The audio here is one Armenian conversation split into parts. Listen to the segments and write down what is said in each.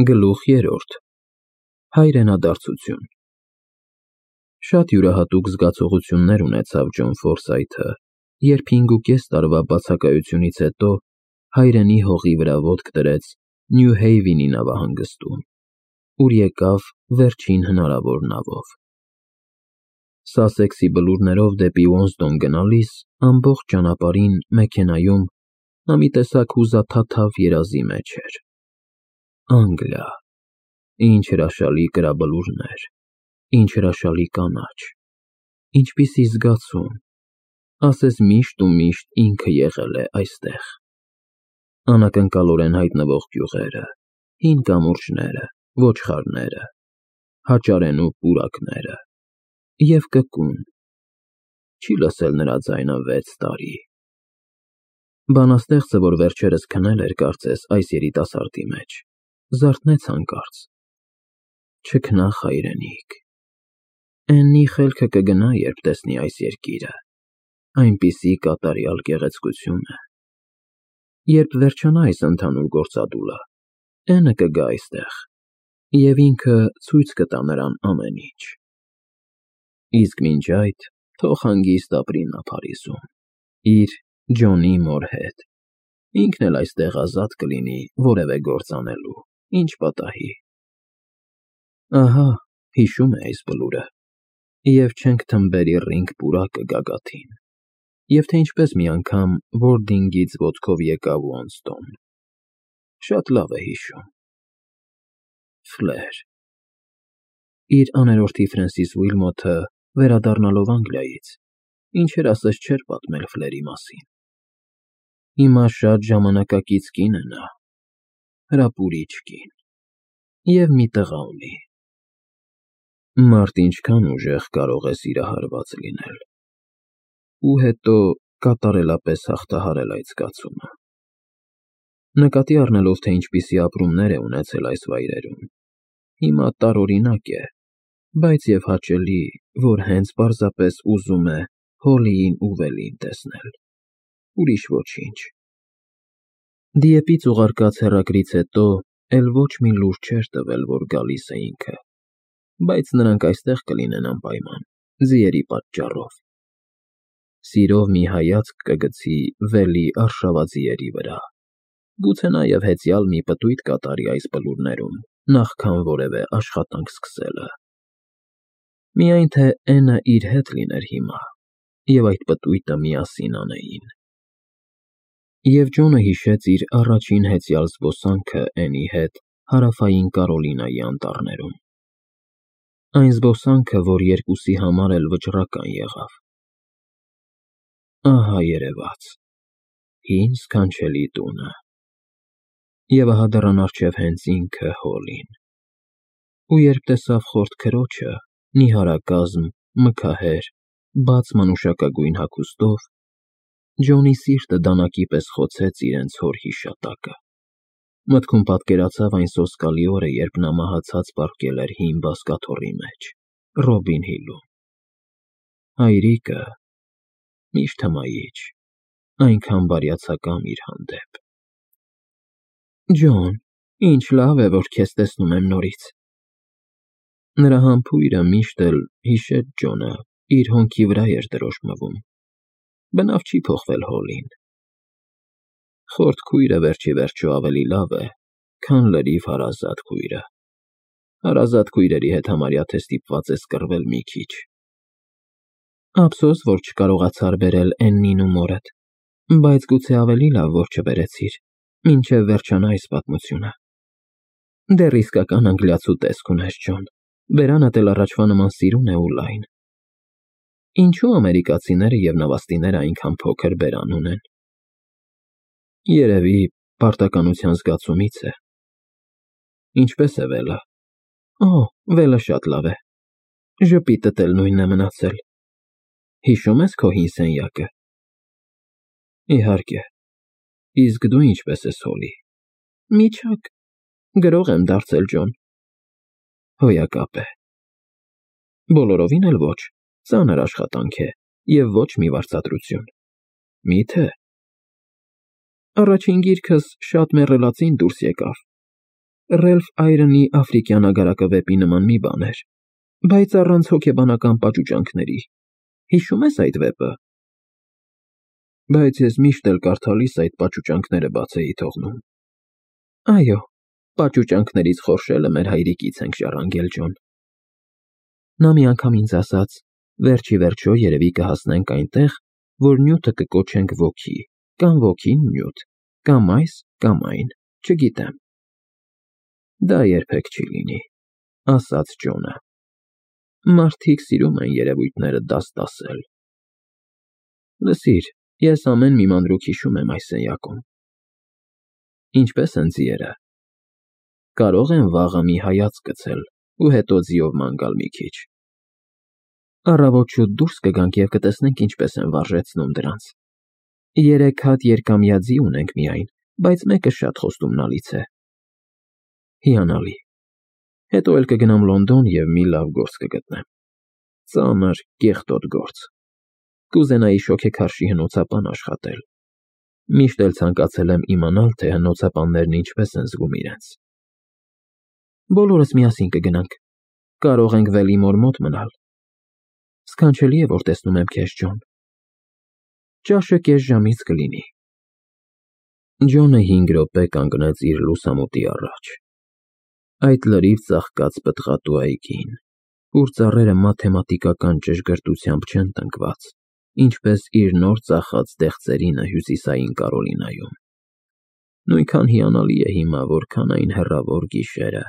Գլուխ 3 Հայրենադարձություն Շատ յուրահատուկ զգացողություններ ունեցավ Ջոն Ֆորսայթը, երբ 5.5 տարվա բացակայությունից հետո հայրենի հողի վրա ոտք դրեց Նյու Հեյվենի նավահանգստում, ուր եկավ վերջին հնարավոր նավով։ Սասեքսի բլուրներով դեպի Ուոնստոն գնալիս ամբողջ ճանապարհին մեքենայում նա մի տեսակ հուզաթաթավ երազի մեջ էր։ Անգլիա, ինչ հրաշալի կրաբլուրներ, ինչ հրաշալի կանաչ, ինչպիսի զգացում, ասես միշտ ու միշտ ինքը եղել է այստեղ։ Անակնկալորեն հայտնվող գյուղերը, հին կամուրջները, ոչխարները, հաճարենու պուրակները և կկուն, չի լսել նրա ձայնը 6 տարի։ Բանաստեղծը, որ վերջերս քնել էր կարծես այս երիտասարդի մեջ, զարթնեց հանկարծ. չքնաղ հայրենիք, Էննի խելքը կգնա, երբ տեսնի այս երկիրը, այնպիսի կատարյալ գեղեցկություն է։ Երբ վերջանա այս ընդհանուր գործադուլը, Էնը կգա այստեղ, և ինքը ցույց կտա նրան ամեն ինչ։ Իսկ մինչ այդ թող հանգիստ ապրի նա Փարիզում, իր Ջոնի մոր հետ, ինքն էլ այստեղ ազատ կլինի որևէ գործ անելու, ինչ պատահի։ Ահա, հիշում է այս բլուրը, և չենք թմբերի ռինգ պուրակը գագաթին, և թե ինչպես մի անգամ Որդինգից ոտքով եկավ Ուոնստոն։ Շատ լավ է հիշում։ Ֆլեր։ Իր աներորդի Ֆրենսիս Ուիլմոթը, վերադառնալով Անգլիայից, ինչեր ասես չէր պատմել Ֆլերի մասին։ Հիմա շատ ժամանակակից կին է նա, հրապուրիչ կին, և մի տղա ունի։ Մարդ ինչքան ուժեղ կարող է սիրահարված լինել, ու հետո կատարելապես հաղթահարել այդ զգացումը։ Նկատի առնելով, թե ինչպիսի ապրումներ է ունեցել այս վայրերում, հիմա տարօրինակ է, բայց և հաճելի, որ հենց պարզապես ուզում է Հոլիին ու Վելին տեսնել, ուրիշ ոչինչ։ Դիեպից ուղարկած հեռագրից հետո էլ ոչ մի լուր չէր տվել, որ գալիս է ինքը, բայց նրանք այստեղ կլինեն անպայման, ձիերի պատճառով։ Սիրով մի հայացք կգցի Վելի արշավաձիերի վրա, գուցե նաև հեծյալ մի պտույտ կատարի այս բլուրներում, նախքան որևէ աշխատանք սկսելը։ Միայն թե Էնը իր հետ լիներ հիմա, և այդ պտույտը միասին անեին։ Եվ Ջոնը հիշեց իր առաջին հեծյալ զբոսանքը Էնի հետ Հարավային Կարոլինայի անտառներում։ Այն զբոսանքը, որ երկուսի համար էլ վճռական եղավ։ Ահա երևաց, հին սքանչելի տունը։ Եվ ահա դռան առջև հենց ինքը Հոլին։ Ու երբ տեսավ խորթ քրոջը, նիհարակազմ, մքահեր, բաց մանուշակագույն հագուստով, Ջոնի սիրտը դանակի պես խոցեց իրենց հոր հիշատակը։ Մտքում պատկերացավ այն սոսկալի օրը, երբ նա մահացած պառկել էր հին բազկաթոռի մեջ, Ռոբին Հիլում։ Հայրիկը, միշտ հմայիչ, այնքան բարյացակամ իր հանդեպ։ Ջոն, ինչ լավ է, որ քեզ տեսնում եմ նորից։ Նրա համբույրը միշտ էլ, հիշեց Ջոնը, իր հոնքի վրա էր դրոշմվում։ Բնավ չի փոխվել Հոլին։ Խորթ քույրը վերջիվերջո ավելի լավ է, քան լրիվ հարազատ քույրը։ Հարազատ քույրերի հետ համարյա թե ստիպված ես կռվել մի քիչ։ Ափսոս, որ չկարողացար բերել Էննին ու մորդ, բայց գուցե ավելի լավ, որ չբերեցիր, մինչև վերջանա այս պատմությունը։ Դեռ իսկական անգլիացու տեսք ունես, Ջոն, բերանդ էլ առաջվա նման սիրուն է ու լայն։ Ինչու ամերիկացիները և նավաստիները այնքան փոքր բերան ունեն։ Երևի պարտականության զգացումից է։ Ինչպե՞ս է Վելը։ Օ, Վելը շատ լավ է։ Ժպիտդ էլ նույնն է մնացել։ Հիշո՞ւմ ես քո հին սենյակը։ Իհարկե։ Իսկ դու ինչպե՞ս ես Հոլի։ Միջակ, գրող եմ դարձել, Ջոն։ Հոյակապ է։ Բոլորովին էլ ոչ, ծանր աշխատանք է և ոչ մի վարձատրություն։ Մի՞թե։ Առաջին գիրքս շատ մեռելածին դուրս եկավ։ Ռելֆ Այրոնի աֆրիկյան ագարակը նման մի բան էր, բայց առանց հոգեբանական պաճուճանքների։ Հիշում ես այդ վեպը։ Բայց ես միշտ էլ կարդալիս այդ պաճուճանքները բաց էի թողնում։ Այո, պաճուճանքներից խորշելը մեր հայրիկից ենք ժառանգել, Ջոն։ Նա մի անգամ ինձ ասաց. վերջի վերջո երևի կհասնենք այնտեղ, որ նյութը կկոչենք ոգի, կամ ոգին նյութ, կամ այս, կամ այն, չգիտեմ։ Դա երբեք չի լինի, ասաց Ջոնը։ Մարդիկ սիրում են երևույթները դասել։ Լսիր, ես ամեն մի մանրուք հիշում եմ այս սենյակում։ Ինչպես են ձիերը։ Կարող են վաղը մի հայացք գցել ու հետո ձիով ման գալ մի քիչ։ Առավոտ շուտ դուրս կգանք և կտեսնենք ինչպես են վարժեցնում դրանց։ 3 հատ երկամյա ձի ունենք միայն, բայց մեկը շատ խոստումնալից է։ Հիանալի։ Հետո էլ կգնամ Լոնդոն և մի լավ գործ կգտնեմ։ Ծանր, կեղտոտ գործ։ Կուզենայի շոգեքարշի հնոցապան աշխատել։ Միշտ էլ ցանկացել եմ իմանալ, թե հնոցապաններն ինչպես են զգում իրենց։ Բոլորս միասին կգնանք։ Կարող ենք Վելիմոր մոտ մնալ։ Սքանչելի է, որ տեսնում եմ քեզ, Ջոն։ Ճաշը կես ժամից կլինի։ Ջոնը 5 րոպե կանգնեց իր լուսամուտի առաջ։ Այդ լրիվ ծաղկած պտղատու այգին, ուր ծառերը մաթեմատիկական ճշգրտությամբ չեն տնկված, ինչպես իր նոր ծախած դեղձերինը հյուսիսային Կարոլինայում։ Նույնքան հիանալի է հիմա, որքան այն հեռավոր գիշերը,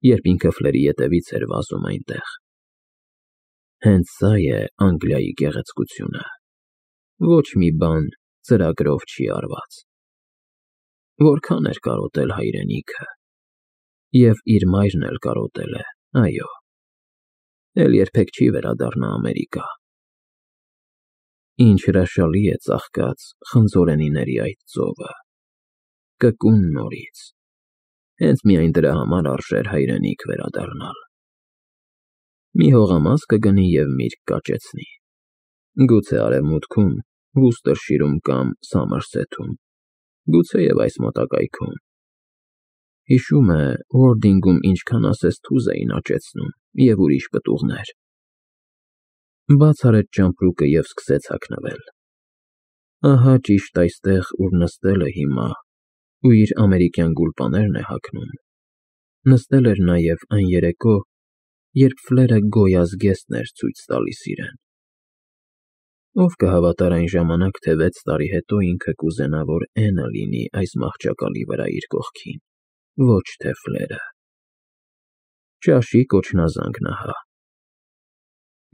երբ ինքը Ֆլերի ետևից էր վազում այնտեղ։ Հենց սա է Անգլիայի գեղեցկությունը։ Ոչ մի բան ծրագրով չի արված։ Որքան էր կարոտել հայրենիքը։ Եվ իր մայրն էլ կարոտել է, այո։ Էլ երբեք չի վերադառնա Ամերիկա։ Ինչ հրաշալի է ծաղկած խնձորենիների այդ ծովը։ Կկուն նորից։ Հենց միայն դրա համար արժեր հայրենիք վերադառնալ։ Մի հողամաս կգնի և միրգ կաճեցնի։ Գուցե արևմուտքում, Վուստերշիրում կամ Սամարսեթում, գուցե և այս մոտակայքում։ Հիշում է, Ուորդինգում ինչքան ասես թուզ էին աճեցնում և ուրիշ պտուղներ։ Բաց արեց ճամպրուկը և սկսեց հագնվել։ Ահա ճիշտ այստեղ, ուր նստել է հիմա ու իր ամերիկյան գուլպաներն է հագնում, նստել էր նաև այն երեկո, երբ Ֆլերը գոյազգեստն էր ցույց տալիս իրեն։ Ով կհավատար այն ժամանակ, թե 6 տարի հետո ինքը կուզենա, որ Էնը լինի այս մահճակալի վրա իր կողքին, ոչ թե Ֆլերը։ Ճաշի կոչնազանգն ահա։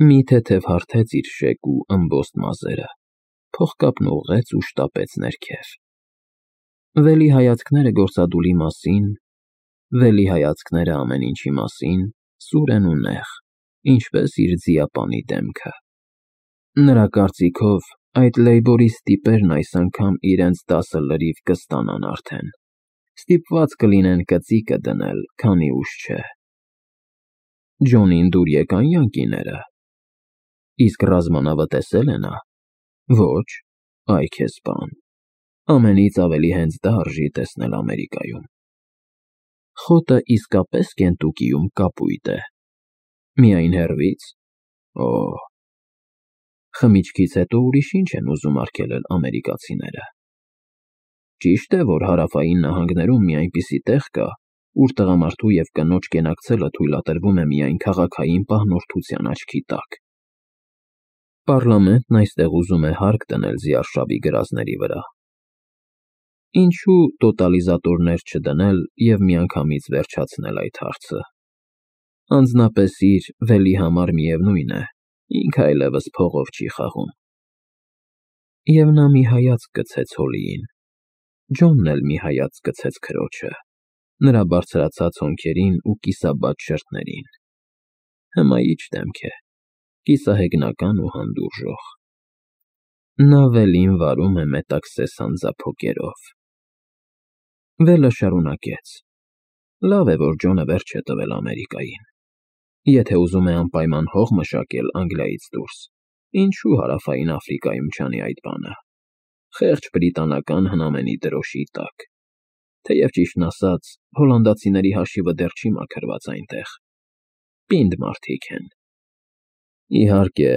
Մի թեթև հարթեց իր շեկ ու ըմբոստ մազերը, փողկապն ուղղեց ու շտապեց ներքև։ Վելի հայացքները գործադուլի մասին, Վելի հայացքները ամեն ինչի մասին, սուր են ու նեղ, ինչպես իր ձիապանի դեմքը։ Նրա կարծիքով, այդ լեյբորիստ տիպերն այս անգամ իրենց 10 լրիվ կստանան արդեն։ Ստիպված կլինեն կծիկը դնել, քանի ուշ չէ։ Ջոնին դուր եկան յանկիները։ Իսկ ռազմանավը տեսել է նա։ Ոչ, այ քեզ բան։ Ամենից ավելի հենց դա արժի տեսնել Ամերիկայում։ Խոտը իսկապես Կենտուկիում կապույտ է։ Միայն հեռվից։ Օ, խմիչքից հետո ուրիշ ինչ են ուզում արգելել ամերիկացիները։ Ճիշտ է, որ հարավային նահանգներում մի այնպիսի տեղ կա, ուր տղամարդու և կնոջ կենակցելը թույլատրվում է միայն քաղաքային պահնորդության աչքի տակ։ Պառլամենտն այստեղ ուզում է հարկ դնել զիարշավի գրազների վրա։ Ինչու տոտալիզատորներ չդնել և միանգամից վերջացնել այդ հարցը։ Անձնապես իր Վելի համար միևնույն է, ինքը այլևս փողով չի խաղում։ Եվ նա մի հայացք գցեց Հոլիին։ Ջոնն էլ մի հայացք գցեց քրոջը, նրա բարձրացած հոնքերին ու կիսաբաց շրթներին։ Հմայիչ դեմք է, կիսահեգնական ու հանդուրժող։ Նա Վելին վարում է մետաքսես հանձափոգերով։ Վելը շարունակեց. Լավ է, որ Ջոնը վերջ է տվել Ամերիկային։ Եթե ուզում է անպայման հող մշակել Անգլիայից դուրս, ինչու հարավային Աֆրիկայում չանի այդ բանը։ Խեղճ բրիտանական հնամենի դրոշի տակ։ թեև ճիշտն ասած, հոլանդացիների հաշիվը դեռ չի մաքրված այնտեղ։ Պինդ մարդիկ են։ Իհարկե,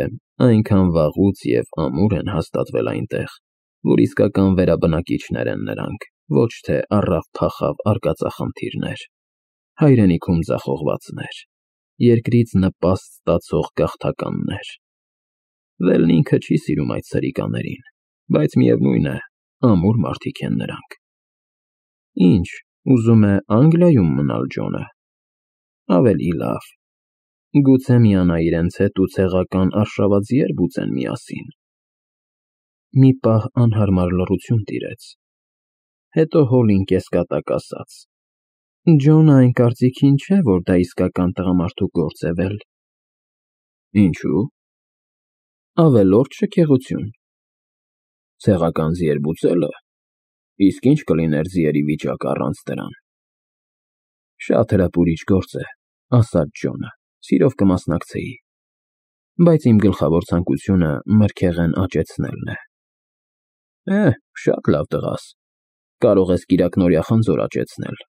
այնքան վաղուց և ամուր են հաստատվել այնտեղ, որ իսկական վերաբնակիչներ են նրանք, ոչ թե առավ-փախավ արկածախնդիրներ, հայրենիքում ձախողվածներ, երկրից նպաստ ստացող գաղթականներ։ Վելն ինքը չի սիրում այդ սրիկաներին, բայց միևնույն է, ամուր մարդիկ են նրանք։ Ինչ, ուզում է Անգլիայում մնալ Ջոնը։ Ավելի լավ։ Գուցե միանա իրենց հետ ու ցեղական արշավաձիեր բուծեն միասին։ Մի պահ անհարմար լռություն տիրեց։ Հետո Հոլին կեսկատակ ասաց. Ջոնը այն կարծիքին չէ, որ դա իսկական տղամարդու գործ է վել։ Ինչու՞։ Ավելորդ շքեղություն։ Ցեղական ձիեր բուծելը։ Իսկ ինչ կլիներ ձիերի վիճակը առանց դրան։ Շատ հրապուրիչ գործ է, ասաց Ջոնը, սիրով կմասնակցեի, բայց իմ գլխավոր ցանկությունը մրգեղեն աճեցնելն է։ Շատ լավ տղաս, կարող ես կիրակնօրյա խնձոր աճեցնել,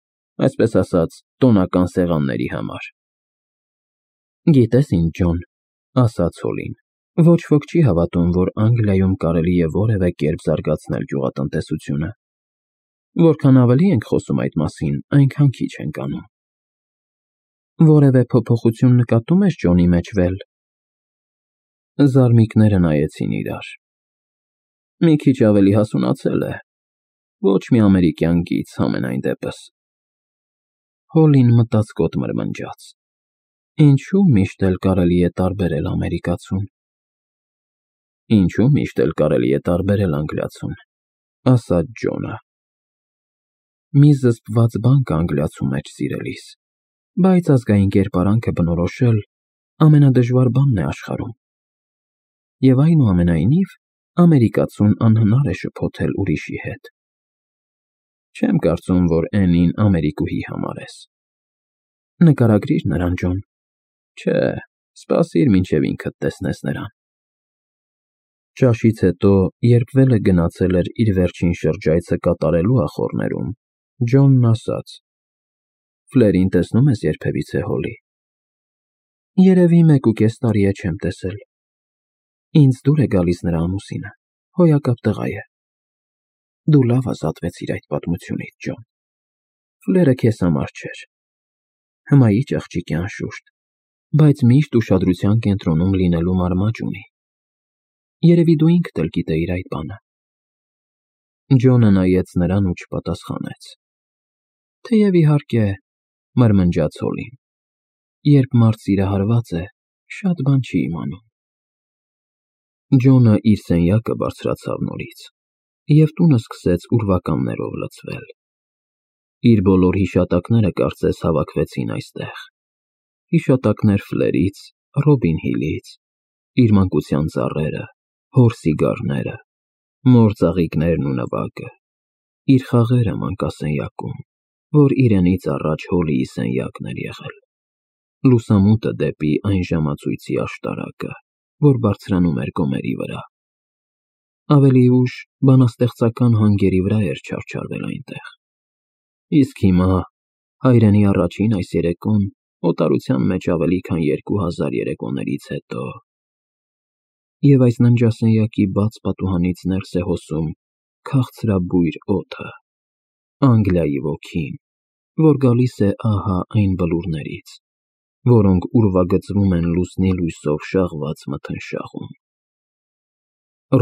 այսպես ասած, տոնական սեղանների համար։ Գիտես ինչ, Ջոն, ասաց Հոլին, ոչ ոք չի հավատում, որ Անգլիայում կարելի է որևէ կերպ զարգացնել գյուղատնտեսությունը։ Որքան ավելի ենք խոսում այդ մասին, այնքան քիչ ենք անում։ Որևէ փոփոխություն նկատում ես Ջոնի մեջ վել։ Զարմիկները նայեցին իրար։ Մի քիչ ավելի հասունացել է։ Ոչ մի ամերիկյան գիծ համենայն դեպս։ Հոլին մտածկոտ մրմնջաց։ Ինչու միշտ էլ կարելի է տարբերել ամերիկացուն։ Ինչու միշտ էլ կարելի է տարբերել անգլիացուն, ասաց Ջոնը։ Մի զսպված բան կա անգլիացու մեջ, սիրելիս, բայց ազգային կերպարանքը բնորոշել ամենադժվար բանն է աշխարհում։ Եվ այնուամենայնիվ, ամերիկացուն անհնար է շփոթել ուրիշի հետ։ Չեմ կարծում, որ Էնին ամերիկուհի համարես։ Նկարագրիր նրան, Ջոն։ Չէ, սպասիր, մինչև ինքդ տեսնես նրան։ Ճաշից հետո, երբ Վելը գնացել էր իր վերջին շրջայցը կատարելու ախոռներում, Ջոնն ասաց. Ֆլերին տեսնում ես երբևիցե, Հոլի։ Երևի 1.5 տարի է չեմ տեսել։ Ինձ դուր է գալիս նրա ամուսինը, հոյակապ տղա է։ Դու լավ ազատվեցիր այդ պատմությունից, Ջոն։ Ֆլերը քեզ համար չէր։ Հմայիչ աղջիկ է անշուշտ, բայց միշտ ուշադրության կենտրոնում լինելու մարմաճ ունի։ Երևի դու ինքդ էլ գիտեիր այդ բանը։ Ջոնը նայեց նրան ու չպատասխանեց։ Թեև իհարկե, մրմնջաց Հոլին, երբ մարդ սիրահարված է, շատ բան չի իմանում։ Ջոնը իր սենյակը բարձրացավ նորից, և տունը սկսեց ուրվականներով լցվել։ Իր բոլոր հիշատակները կարծես հավաքվեցին այստեղ։ Հիշատակներ Ֆլերից, Ռոբին Հիլից, իր մանկության ծառերը, հոր սիգարները, մոր ծաղիկներն ու նվագը, իր խաղերը մանկասենյակում, որ իրենից առաջ Հոլիի սենյակն էր եղել, լուսամուտը դեպի այն ժամացույցի աշտարակը, որ բարձրանում էր գոմերի վրա։ Ավելի ուշ բանաստեղծական հանգերի վրա էր չարչարվել այնտեղ։ Իսկ հիմա, հայրենի առաջին այս երեկոն, օտարության մեջ ավելի քան 2000 երեկոներից հետո։ Եվ այս ննջասենյակի բաց պատուհանից ներս է հոսում քաղցրաբույր օդը, Անգլիայի ոգին, որ գալիս է ահա այն բլուրներից, որոնք ուրվագծվում են լուսնի լույսով շաղված մթնշաղում։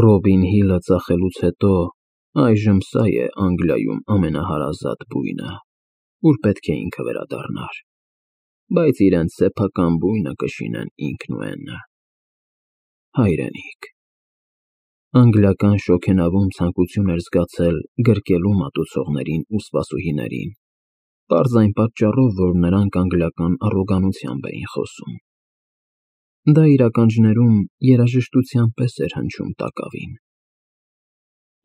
Ռոբին Հիլը ծախելուց հետո այժմ սա է Անգլիայում ամենահարազատ բույնը, ուր պետք է ինքը վերադառնար, բայց իրենց սեփական բույնը կշինեն ինքն ու Էննը։ Հայրենիք։ Անգլիական շոգենավում ցանկություն էր զգացել գրկելու մատուցողներին ու սպասուհիներին, պարզ այն պատճառով, որ նրանք անգլիական առոգանությամբ էին խոսում։ Դա իր ականջներում երաժշտության պես էր հնչում տակավին։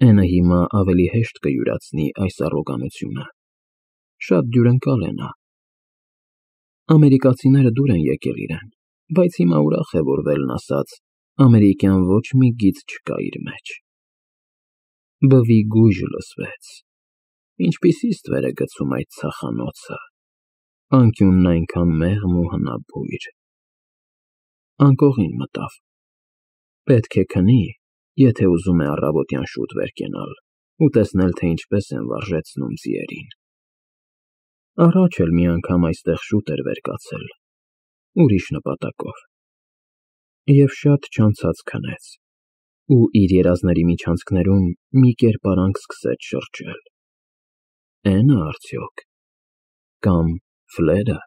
Էնը հիմա ավելի հեշտ կյուրացնի այս առոգանությունը։ Շատ դյուրընկալ է նա։ Ամերիկացիները դուր են եկել իրեն, բայց հիմա ուրախ է, որ Վելն ասաց, ամերիկյան ոչ մի գիծ չկա իր մեջ։ Բվի գույժ լսվեց։ Ինչպիսի ստվեր է գցում այդ ցախանոցը, անկյունն այնքան մեղմ ու հնաբույր։ Անկողին մտավ։ Պետք է քնի, եթե ուզում է առավոտյան շուտ վեր կենալ ու տեսնել, թե ինչպես են վարժեցնում ձիերին։ Առաջ էլ մի անգամ այստեղ շուտ էր վեր կացել, ուրիշ նպատակով, և շատ չանցած քնեց, ու իր երազների միջանցքներում մի կերպարանք սկսեց շրջել։ Է՞նը արդյոք, կամ Ֆլե՞րը։